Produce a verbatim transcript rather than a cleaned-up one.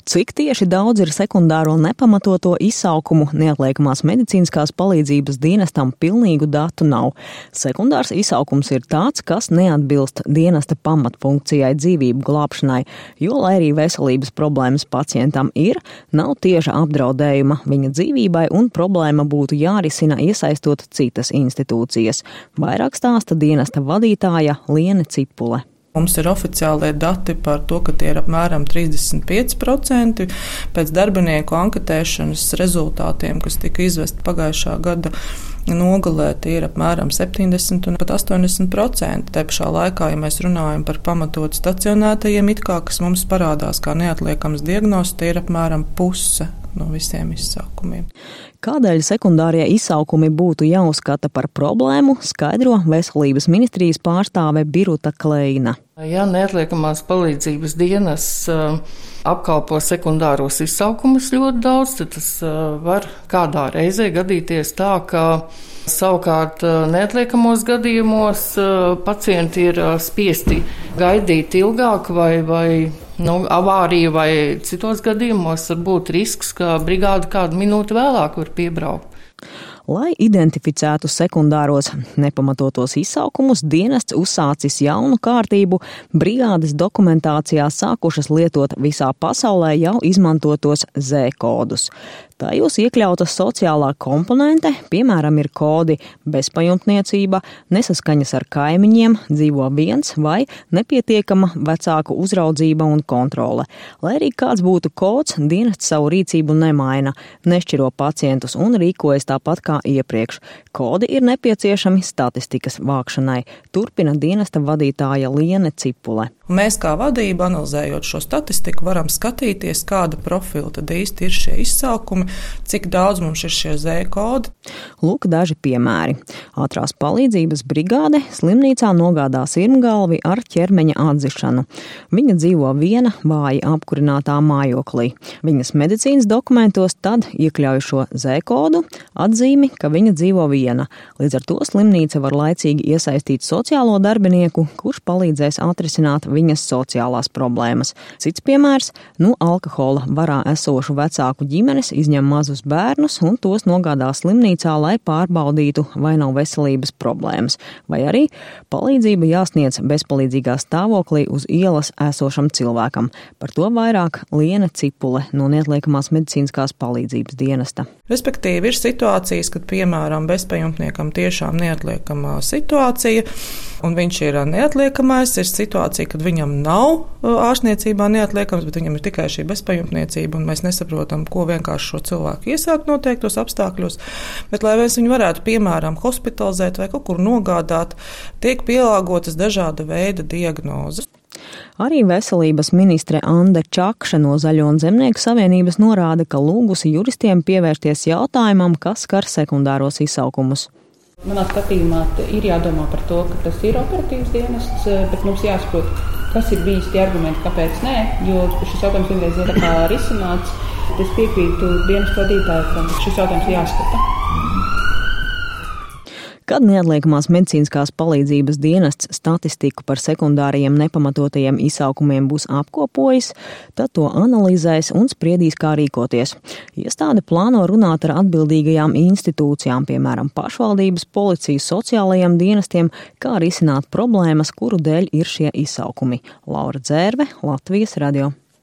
Cik tieši daudz ir sekundāro nepamatoto izsaukumu neatliekamās medicīniskās palīdzības dienestam pilnīgu datu nav. Sekundārs izsaukums ir tāds, kas neatbilst dienesta pamatfunkcijai dzīvību glābšanai, jo, lai arī veselības problēmas pacientam ir, nav tieša apdraudējuma viņa dzīvībai un problēma būtu jārisina iesaistot citas institūcijas. Vairāk stāsta dienesta vadītāja Liene Cipule. Mums ir oficiālie dati par to, ka tie ir apmēram trīsdesmit pieci procenti. Pēc darbinieku anketēšanas rezultātiem, kas tika izvesti pagājušā gada nogalē, tie ir apmēram septiņdesmit un pat astoņdesmit procenti. Te pašā laikā, ja mēs runājam par pamatot stacionētajiem, it kā, kas mums parādās kā neatliekams diagnozes, tie ir apmēram puse no visiem izsaukumiem. Kādēļ sekundārie izsaukumi būtu jāuzskata par problēmu, skaidro Veselības ministrijas pārstāve Biruta Kleina. Ja neatliekamās palīdzības dienas uh, apkalpo sekundāros izsaukumus ļoti daudz, tad tas uh, var kādā reizē gadīties tā, ka savukārt uh, neatliekamos gadījumos uh, pacienti ir uh, spiesti gaidīt ilgāk vai, vai nu, avārija vai citos gadījumos var būt risks, ka brigāde kādu minūti vēlāk var piebraukt. Lai identificētu sekundāros nepamatotos izsaukumus, dienests uzsācis jaunu kārtību, brigādes dokumentācijā sākušas lietot visā pasaulē jau izmantotos Z-kodus. Tajos iekļauta sociālā komponente, piemēram, ir kodi bezpajumtniecība, nesaskaņas ar kaimiņiem, dzīvo viens vai nepietiekama vecāku uzraudzība un kontrole. Lai arī kāds būtu kods, dienests savu rīcību nemaina, nešķiro pacientus un rīkojas tāpat kā iepriekš. Kodi ir nepieciešami statistikas vākšanai, turpina dienesta vadītāja Liene Cipule. Mēs kā vadība, analizējot šo statistiku, varam skatīties, kāda profila tad īsti ir šie izsaukumi, cik daudz mums ir šie Z-kodi. Lūk daži piemēri. Ātrās palīdzības brigāde slimnīcā nogādā sirmgalvi ar ķermeņa atzišanu. Viņa dzīvo viena vāji apkurinātā mājoklī. Viņas medicīnas dokumentos tad iekļauj šo Z-kodu, atzīmi, ka viņa dzīvo viena. Līdz ar to slimnīca var laicīgi iesaistīt sociālo darbinieku, kurš palīdzēs atrisināt viņas sociālās problēmas. Cits piemērs, nu alkohola varā esošu vecāku ģimenes izņem mazus bērnus un tos nogādā slimnīcā, lai pārbaudītu, vai nav veselības problēmas. Vai arī palīdzība jāsniedz bezpalīdzīgā stāvoklī uz ielas esošam cilvēkam. Par to vairāk Liene Cipule no neatliekamās medicīniskās palīdzības dienesta. Respektīvi ir situācijas, kad, piemēram, bezpajumtniekam tiešām neatliekamā situācija, un viņš ir neatliekamais, ir situācija, kad viņam nav ārstniecībā neatliekams, bet viņam ir tikai šī bezpajumtniecība, un mēs nesaprotam, ko vienkārši šo cilvēku iesākt noteiktos apstākļos. Bet, lai mēs viņu varētu, piemēram, hospitalizēt vai kaut kur nogādāt, tiek pielāgotas dažāda veida diagnozes. Arī veselības ministre Ande Čakša no Zaļo un Zemnieku savienības norāda, ka lūgusi juristiem pievērsties jautājumam, kas skar sekundāros izsaukumus. Manā skatījumā ir jādomā par to, ka tas ir operatīvs dienests, bet mums jāsaprot, kas ir bijis tie argumenti, kāpēc nē, jo šis jautājums vienreiz ir tā kā risināts. Es piekrītu dienestu vadītāju, ka šis jautājums jāskata. Kad neatliekamās medicīniskās palīdzības dienests statistiku par sekundārajiem nepamatotajiem izsaukumiem būs apkopojis, tad to analizēs un spriedīs, kā rīkoties. Iestāde plāno runāt ar atbildīgajām institūcijām, piemēram, pašvaldības, policijas, sociālajiem dienestiem, kā risināt problēmas, kuru dēļ ir šie izsaukumi. Laura Dzērve, Latvijas radio.